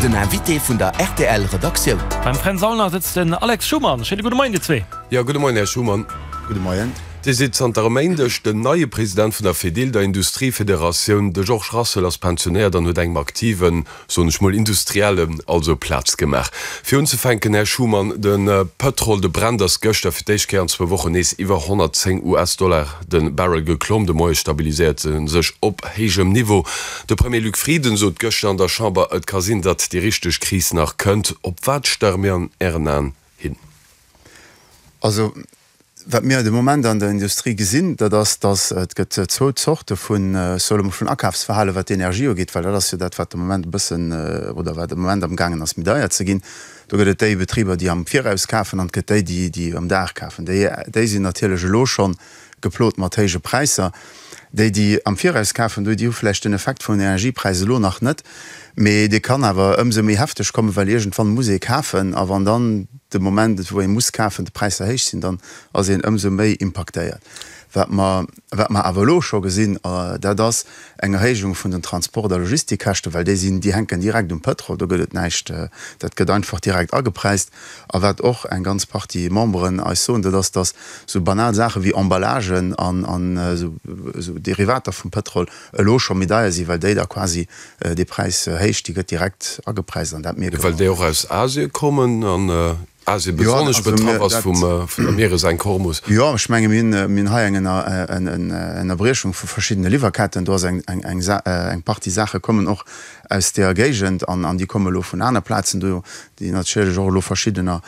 Den Invité vun der rtl Redaktioun. Beim Fränz Aulner sëtzt den Alex Schumann. Schéine gudde Moien dir zwee. Jo, gudde Moien, Här Schumann. Gudde Moien. Dir sidd zanter e Méindeg den neie President vun der Fedil, der Industriefederatioun. De Georges Rassel ass pensionéiert an huet engem aktiven, soen ech mol, Industriellen also Plaz gemaach. Fir unzefänken, Här Schumann, de Pëtrol, de Brent ass gëschter fir d'éischt Kéier an zwou Wochen nees iwwer 110 US-Dollar de Barrel geklomm. De Moie stabiliséiert e sech op héijem Niveau. De Premier Luc Frieden sot gëschter an der Chamber, et ka sinn, datt déi richteg Kris nach kënnt. Op wat starre mir an Ären Aen hin? Also, wat mir de Moment an der Industrie gesinn, dat ass, datt et gëtt zwou Zorte vun, ech soe lo mol, vun Akafsverhale wat d'Energie ugeet, well dat ass jo dat, wat de Moment e bëssen, oder wat de Moment amgaangen ass méi deier ze ginn. Do gëtt et déi Betriber, déi am Viraus kafen an et gëtt déi, déi, déi am Dag kafen. Déi, déi sinn natierlech elo schonn geplot mat héije Präisser. Déi, déi am Viraus kafen, déi hu vläicht den Effekt vun den Energiepräis elo nach net, mee dee kann awer ëmsou méi hefteg kommen, well iergendwann muss ee kafen. A wann dann de Moment, wou ee muss kafen, d'Präisser héich sinn, dann ass een ëmsou méi impaktéiert. Wat mer, wat mer awer elo scho gesinn, dat ass eng Erhéijung vun den Transport a Logistikkäschten, well déi sinn, déi hänken direkt um Pëtrol, do gëtt et näischt, dat gëtt einfach direkt agepräist. A wat och eng ganz Partie Memberen eis soen, dat ass, datt esou banal Saache wéi Emballagen an esou Derivater vum Pëtrol elo scho méi deier sinn, well déi da quasi déi Präishéicht, déi gëtt direkt agepräist an dat mierke mer. Well déi och aus Asien kommen an Asien besonnesch betraff ass vum der Mieresenk Hormus. Jo, ech menge mir hunn hei eng Ënnerbriechung vu verschiddene Liwwerketten. Do ass eng Partie Saache kommen och aus deeër Géigend an déi komme elo vun aner Plazen do, déi natierlech och elo verschiddener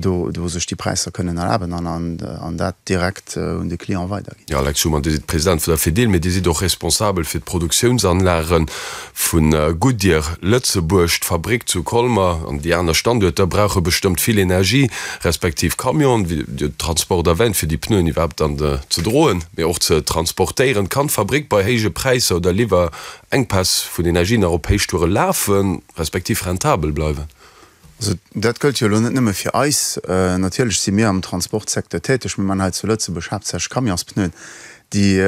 do do sech déi Präisser kënnen erlaben an an dat direkt un de Client weiderginn. Jo, Alex Schumann, Dir sidd President vun der Fedil, mee Dir sidd och responsabel fir d'Produktiounsanlage vu Goodyear Lëtzebuerg. D'Fabrik zu Colmer an déi aner Standuerter brauche bestëmmt vill Energie, respektiv Camionen, wéi Dir Transport erwähnt, fir déi Pneuen iwwerhaapt dann ze droen, mee och ze transportéieren. Kann d'Fabrik bei héije Präisser oder Liwwerenkpäss vun Energie nach op Héichtoure lafen, respektiv rentabel bleiwen? Also dat gëllt jo elo net nëmme fir eis. Natierlech si mir am Transportsecteur täteg. Mir man hei zu Lëtzebuerg haaptsächlech Camionspneuen, déi,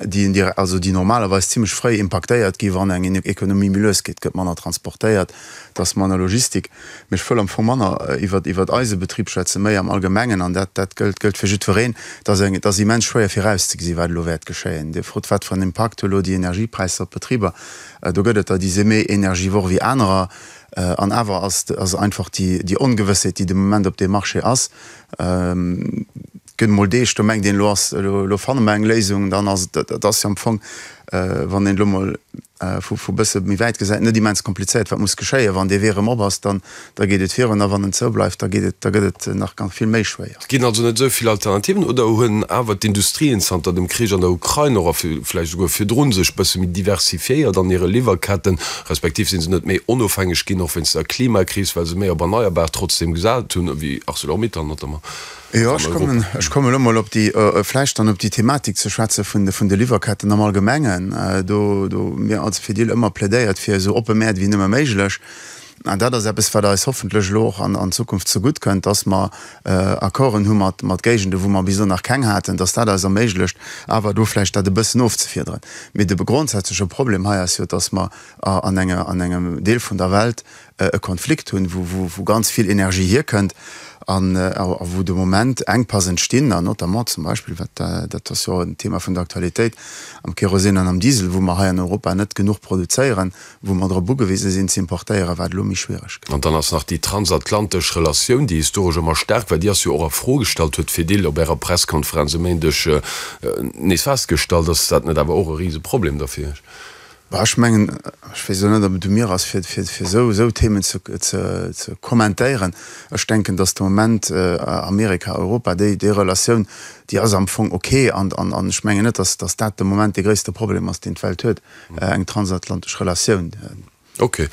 déi, also déi normalerweis zimlech fréi impaktéiert gi wann eng Ekonomie méi lues geet. Et gëtt manner transportéiert, et ass manner Logistik. Mee ech wëll am Fong manner iwwer, iwwer eise Betrib schwätzen, méi am Allgemengen, an dat, dat gëllt, gëllt fir jiddwereen. Et ass eng, et ass immens schwéier virauszegesinn, wat elo wäert geschéien. Dir frot, wat fir en Impakt hu elo déi Energiepräisser op d'Betriber. Do gëtt et der, déi si méi energivor wéi anerer. An awer ass ass einfach déi déi Ongewëssheet, déi de Moment op deem Marché ass. Et gëtt emol Deeg, do mengt een, elo ass, elo fanne mer eng Léisung. Dann ass et, et ass jo am Fong, wann een elo mol vu vu bësse méi wäit gesäit, net immens komplizéiert, wat muss geschéien. Wann dee Wee erëm op ass, dann da geet et virun. A wann en zou bleift, da geet et, da gëtt et nach ganz vill méi schwéier. Et ginn also net esou vill Alternativen, oder hunn awer d'Industrien zanter dem Krich an der Ukrain och, a vläicht esouguer virdrun, sech bësse méi diversifiéiert an hire Liwwerketten, respektiv si se net méi onofhängeg ginn, och wéinst der Klimakris, well se méi op Erneierbar trotzdem gesat hunn, wéi Arcelor-Mittal notamment Jo, ech kommen, ech kommen elo mol op déi, vläicht dann op déi Thematik ze schwätze vun de, vun de Liwwerketten am Allgemengen. Do, do hu mir als Fedil ëmmer plädéiert fir esou oppe Mäert wéi nëmme méiglech. An dat ass eppes, wat eis hoffentlech elo och an, an Zukunft zegutt kënnt, dass mer Accorden hu mat, mat Géigende wou mer bis elo nach keng haten, dass dat eis erméiglecht, awer do vläicht dat e bëssen ofzefiederen. Mee de grondsätzleche Problem hei ass jo, dass mer an enger, an engem Deel vun der Welt e Konflikt hunn, wou ganz vill Energie hierkënnt an wou de Moment Enkpass entstinn, an notamment zum Beispill, wat dat ass jo och en Thema vun der Aktualitéit, am Kerosin an am Diesel, wou mer hei an Europa net genuch produzéieren, wou mer drop ugewise sinn ze importéieren, wat elo méi schwiereg gëtt. An dann ass nach déi transatlantesch Relatioun, déi historesch ëmmer staark war, déi ass jo och a Fro gestallt, huet d'Fedil op Ärer Presskonferenz e Méindeg nees festgestallt. Ass dat net awer och e Riseproblem da fir Iech? Bah, ech mengen, ech weess elo net, ob et u mir ass, fir, fir, fir esou, esou Themen ze, ze, ze kommentéieren. Ech denken, datt de Moment Amerika, Europa, déi, déi Relatioun, déi ass am Fong ok. An, an, an ech mengen net, datt, datt dat de Moment dee gréisste Problem ass, deen d'Welt huet, eng transatlantesch Relatioun. Ok.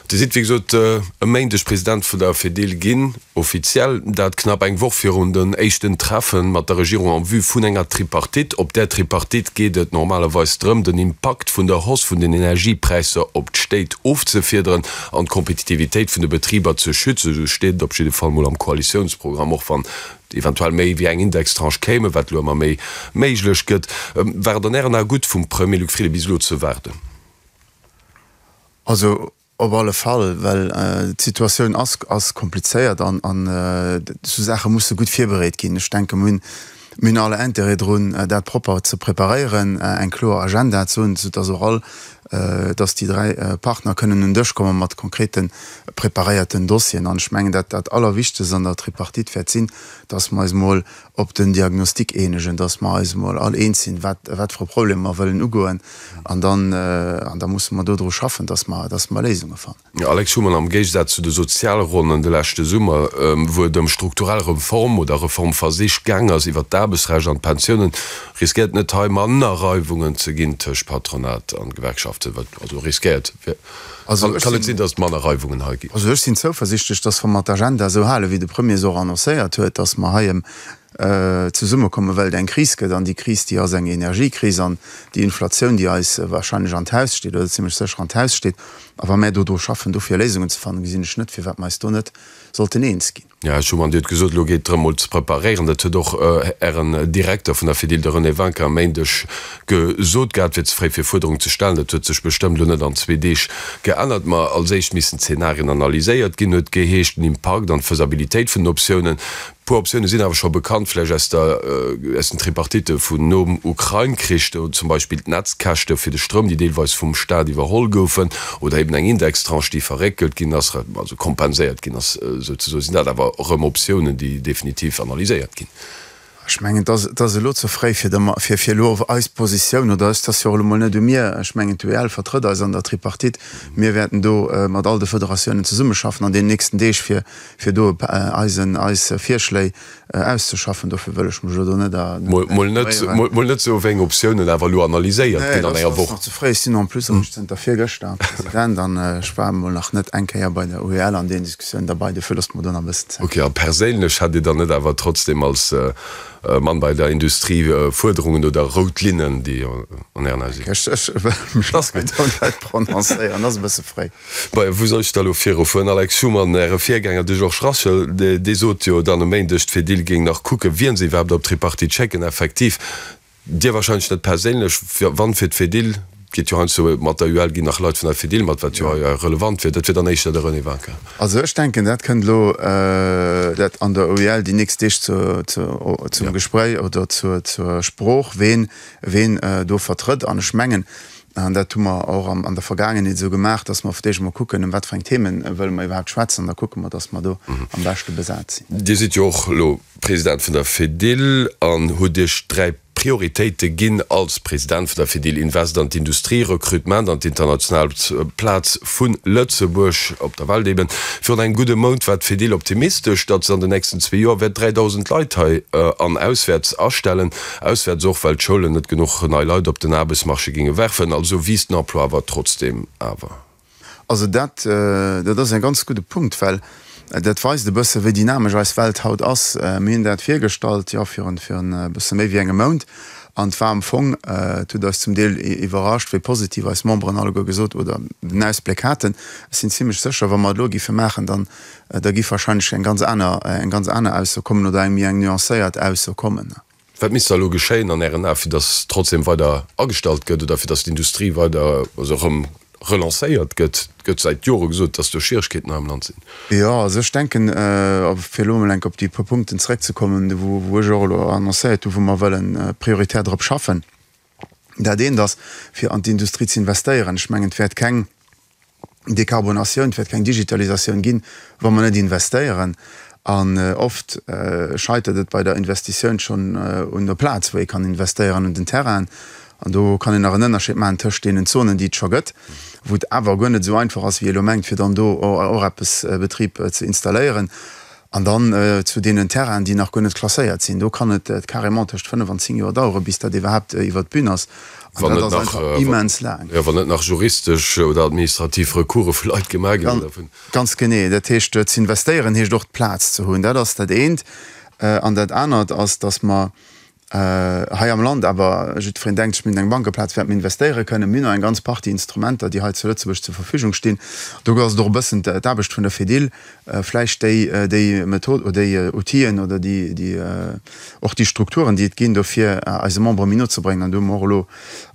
Dir sidd, wéi gesot, e Méindeg President vun der Fedil ginn, offiziell. Dat knapp eng Woch virun den éischten Treffe mat der Regierung en vue vun enger Tripartite. Op där Tripartite geet et normalerweis drëm, den Impakt vun der Hausse vun den Energiepräisser op d'Stéit ofzefiederen an d'Kompetitivitéit vun de Betriber ze schützen. Esou steet et op jidde Fall mol am Koalitiounsprogramm, och wann eventuell méi wéi eng Indextranche kéimen, wat elo ëmmer méi méiglech gëtt. War et an Ären Ae gutt vum Premier Luc Frieden bis elo ze waarden? Also. Op alle Fall, well d'Situatioun ass ass komplizéiert an an esou Saache musse gutt virbereet ginn. Ech denke mir hunn mir hunn alle Intérêt drun, dat propper ze preparéieren, eng kloer Agenda ze hunn, soudass och all, dass déi 3 Partner kënnen un Dësch komme mat konkrete preparéierten Dossieren. An ech mengen, dat dat Allerwichtegst an der Tripartite wäert sinn, dass mer eis emol op den Diagnostic eenegen, dass mer eis emol all eens sinn, wat, wat fir e Problem mer wëllen ugoen, an dann, an da musse mer dodru schaffen, dass mer, dass mer Léisunge fannen. Alex Schumann, Am Géigesaz zu de Sozialronnen de leschte Summer, wou et ëm strukturell Reform oder Reformversich gaang ass iwwert d'Aarbechtsrecht an d'Pensiounen, riskéiert net hei manner Reiwungen ze ginn tëscht Patronat an Gewerkschaften? Wat also riskéiert, kann et sinn, datt et manner Reiwungen hei ginn? Also ech sinn zouversichtlech, datt wa mer d'Agenda esou halen, wéi de Premier se och annoncéiert huet, datt mer hei ëm zesummekommen, well et eng Kris gëtt. An déi Kris, déi ass eng Energiekris an déi Inflatioun, déi eis wahrscheinlech an d'Haus steet oder zimlech sécher an d'Haus steet. A wa mär do dru schaffen, dofir Léisungen ze fannen, gesinn ech net, firwat mer eis do net sollten eens ginn. Jo, Här Schuman, Dir hutt gesot, elo geet et drëm, mol ze preparéieren. Dat huet och Ären Direkter vun der Fedil, de René Winkin, e Méindeg gesot gehat, wier ze fréi fir Fuerderungen ze stellen. Dat huet sech bestëmmt elo net an zwee Deeg geännert. Ma als éischt missten d'Zenarien analyséiert ginn, huet geheescht, den Impakt an d'Faisabilitéit vun den Optiounen. Puer Optioune sinn awer scho bekannt, vläicht aus der, aus den Tripartitte vun nom Ukrain-Krich, do zum Beispill d'Netzkäschte fir de Stroum, déi deelweis vum Staat iwwerholl goufen, oder eben eng Indextranche, déi verréckelt ginn ass, also kompenséiert ginn ass souzesoen. Sinn dat awer erëm Optiounen, déi definitiv analyséiert ginn? Ech mengen, et ass, et ass elo ze fréi, fir da, fir, fir elo eis Positioun, oder et ass jo och elo mol net u mir, ech mengen, d'UEL vertrëtt eis an der Tripartite, mir wäerten do mat all de Federatiounen zesummeschaffen an deenen nächsten Deeg, fir, fir do eisen, eis Virschléi auszeschaffen. Dofir wëll ech mech elo do net a. Mol net, mol net soen, wéi eng Optiounen awer elo analyséiert ginn an enger Woch. Nee, dat ass nach ze fréi. Ech sinn en plus eréischt zënter virgëschter President an ech war emol nach net eng Kéier bei der UEL an deenen Diskussiounen derbei. Dofir loosst mer do nach e bëssen Zäit. Ok, a perséinlech hätt Dir dann net awer trotzdem als Mann bei der Industrie Fuerderungen oder rout Linnen, déi an Ären Ae sinn? Ech wëll mech net prononcéieren, ass e bësse fréi. Bei wou soll ech da lo virufueren? Alex Schumann, Äre Virgänger, de Georges Rassel, dee sot jo dann e Méindeg, d'Fedil géing nach kucken, wien se iwwerhaapt op d'Tripartite schécken. Effektiv, Dir wahrscheinlech net perséinlech, wann fir d'Fedil, geet jo heiansdo mat der UEL ginn nach Leit vun der Fedil mat, wat jo hei relevant wier, dat wier dann éischter de René Winkin. Also ech denken, dat kënnt elo dat an der UEL déi nächst Deeg zum Gespréich oder zur Sprooch, ween ween do vertrëtt. An ech mengen, An dat hu mer och an der Vergaangenheet esou gemaach, dass mer fir d'éischt emol kucken, ëm wat fir eng Themen wëlle mer iwwerhaapt schwätzen, an da kucke mer, dass mer do am beschte besat sinn. Dir sidd jo och elo President vun der Fedil an hutt Iech 3 Prioritéite ginn als President vun der Fedil, Invest an d'Industrie, Recrutement an d'international Plaz vu Lëtzebuerg op der Welt eben. Virun engem gudde Mount war d'Fedil optimistesch, datt se an den nächsten zwee Joer wäert 3.000 Leit hei an auswäerts astellen. Auswäerts och, well d'Schoulen net genuch nei Leit op den Aarbechtsmarché géinge werfen. Also wiisst den Emploi awer trotzdeem awer. Also dat, dat ass e ganz gudde Punkt, well dat weist e bësse wéi dynamesch eis Welt haut ass. Mir hunn dat virgestallt, jo, virun, virun e bësse méi wéi engem Mount an et war am Fong, et huet eis zum Deel iwwerrascht, wéi positiv eis Memberen alleguer gesot oder den Ausbléck haten. Ech sinn zimlech sécher, wa mer et elo géife maachen, dann, da géif wahrscheinlech eng ganz aner, eng ganz aner Ausso kommen oder eng méi eng nuancéiert Ausso kommen. Wat misst da elo geschéien an Ären Ae fir datt trotzdem weider agestallt gëtt oder fir datt d'Industrie weider, also erëm relancéiert gëtt? Et gëtt säit Jore gesot, datt do Schwieregkeeten hei am Land sinn. Jo, also ech denken, fir elo emol enk op déi puer Punkten zeréckzekommen, wou ech och elo annoncéiert hu wou mer wëllen prioritär drop schaffen. Dat eent ass, fir an d'Industrie ze investéieren. Ech mengen, et wäert keng Dekarbonatioun, et wäert keng Digitalisatioun ginn, wa mer net investéieren. An oft scheitert et bei der Investitioun schonn un der Plaz, wou ee kann investéieren, un den Terrainen. An do kann een nach en Ënnerscheed maachen tëscht deenen Zonen, déi et scho gëtt, wou et awer guer net esou einfach ass, wéi ee elo mengt, fir dann do och eppes Betrib ze installéieren, An dann zu deenen Terrainen, déi nach guer net klasséiert sinn. Do kann et carrément tëscht 5 an 10 Joer daueren, bis dat iwwerhaapt iwwert d'Bün ass. An dat ass einfach immens laang. Jo, wann net nach juristesch oder administrativ Recourse vu Leit gemaach ginn oder vun. Ganz genee. Dat heescht, ze investéieren heescht och d'Plaz ze hunn. Dat ass dat eent. An dat anert ass, datt mer. Hei am Land awer, jiddwereen denkt sech, mir hunn eng Bankeplaz, wäerte mir investéiere kënnen. Mir hunn och eng ganz Partie Instrumenter, déi hei zu Lëtzebuerg zur Verfügung stinn. Do ass et och e bëssen d'Aarbecht vun der Fedil, vläicht déi, déi Method oder déi Outiller oder déi, déi, och déi Strukturen, déi et ginn, dofir eise Membere méi no ze bréngen. An do hu mer och elo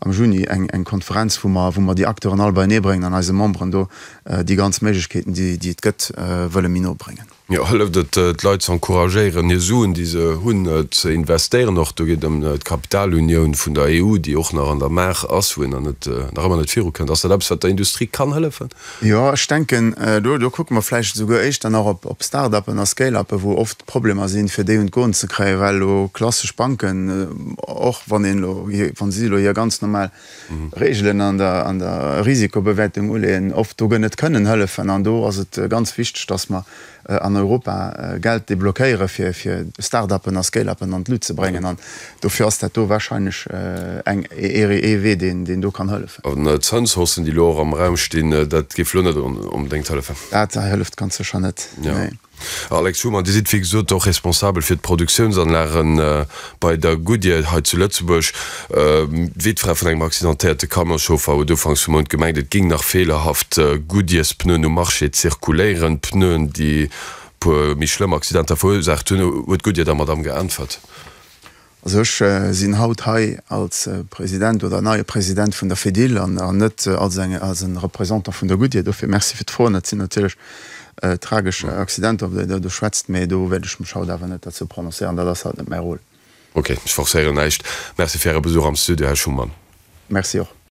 am Juni eng, eng Konferenz, wou mer, wou mer déi Acteuren all beienee bréngen an eise Memberen do déi ganz Méiglechkeeten, déi, déi et gëtt, wëlle méi no bréngen. Jo, hëlleft et, d'Leit ze encouragéieren, hir Suen, déi se hunn, ze investéieren? Och do geet et ëm d'Kapitalunioun vun der EU, déi och nach an der Maach ass, wou een nach net, nach ëmmer net virukënnt. Ass dat eppes, wat der Industrie kann hëllefen? Jo, ech denken, do, do kucke mer vläicht esouguer éischter nach op, op Start-uppen a Scale-uppen, wou oft Problemer sinn, fir déi un d'Goen ze kréien, well elo klassesch Banken, och wann een elo, wa si elo hir ganz normal Reegelen an der, an der Risikobewäertung uleeën, oft do net kënnen hëllefen. An do ass et ganz wichteg, dass mer an Europa Geld deblockéiere fir, fir Start-uppen a Scale-uppen an d'Lut ze bréngen. An dofir ass dat do wahrscheinlech eng, ee Wee, deen, deen do kann hëllefen. An d'Zënshaussen, déi elo och am Raum stinn, dat géif elo net onbedéngt hëllefen? Dat hëlleft ganz sécher net, nee. Alex Schumann, Dir sidd wéi gesot och responsabel fir d'Produktiounsanlage bei der Goodyear hei zu Lëtzebuerg. D'Wittfra vun engem accidentéierte Camionschauffer huet ufanks vum Mount gemengt, et géing nach feelerhaft Goodyears-Pneuen um Marché zirkuléieren. Pneuen, déi e puer méi schlëmm Accidenter verursaacht hunn. Huet d'Goodyear der Madamm geäntwert? Also ech sinn haut hei als President oder neie President vun der Fedil an net als eng als e Représentant vun der Goodyear. Dofir Merci fir d'Froen. Dat sinn natierlech tragesch Accidenter, op déi Der do schwätzt, mä do wäert ech mech haut awer net derzou prononcéieren. Dat ass haut net mäi Rôle. Ok, ech forcéieren näischt. Merci fir Äre Besuch am Studio, Här Schumann. Merci och.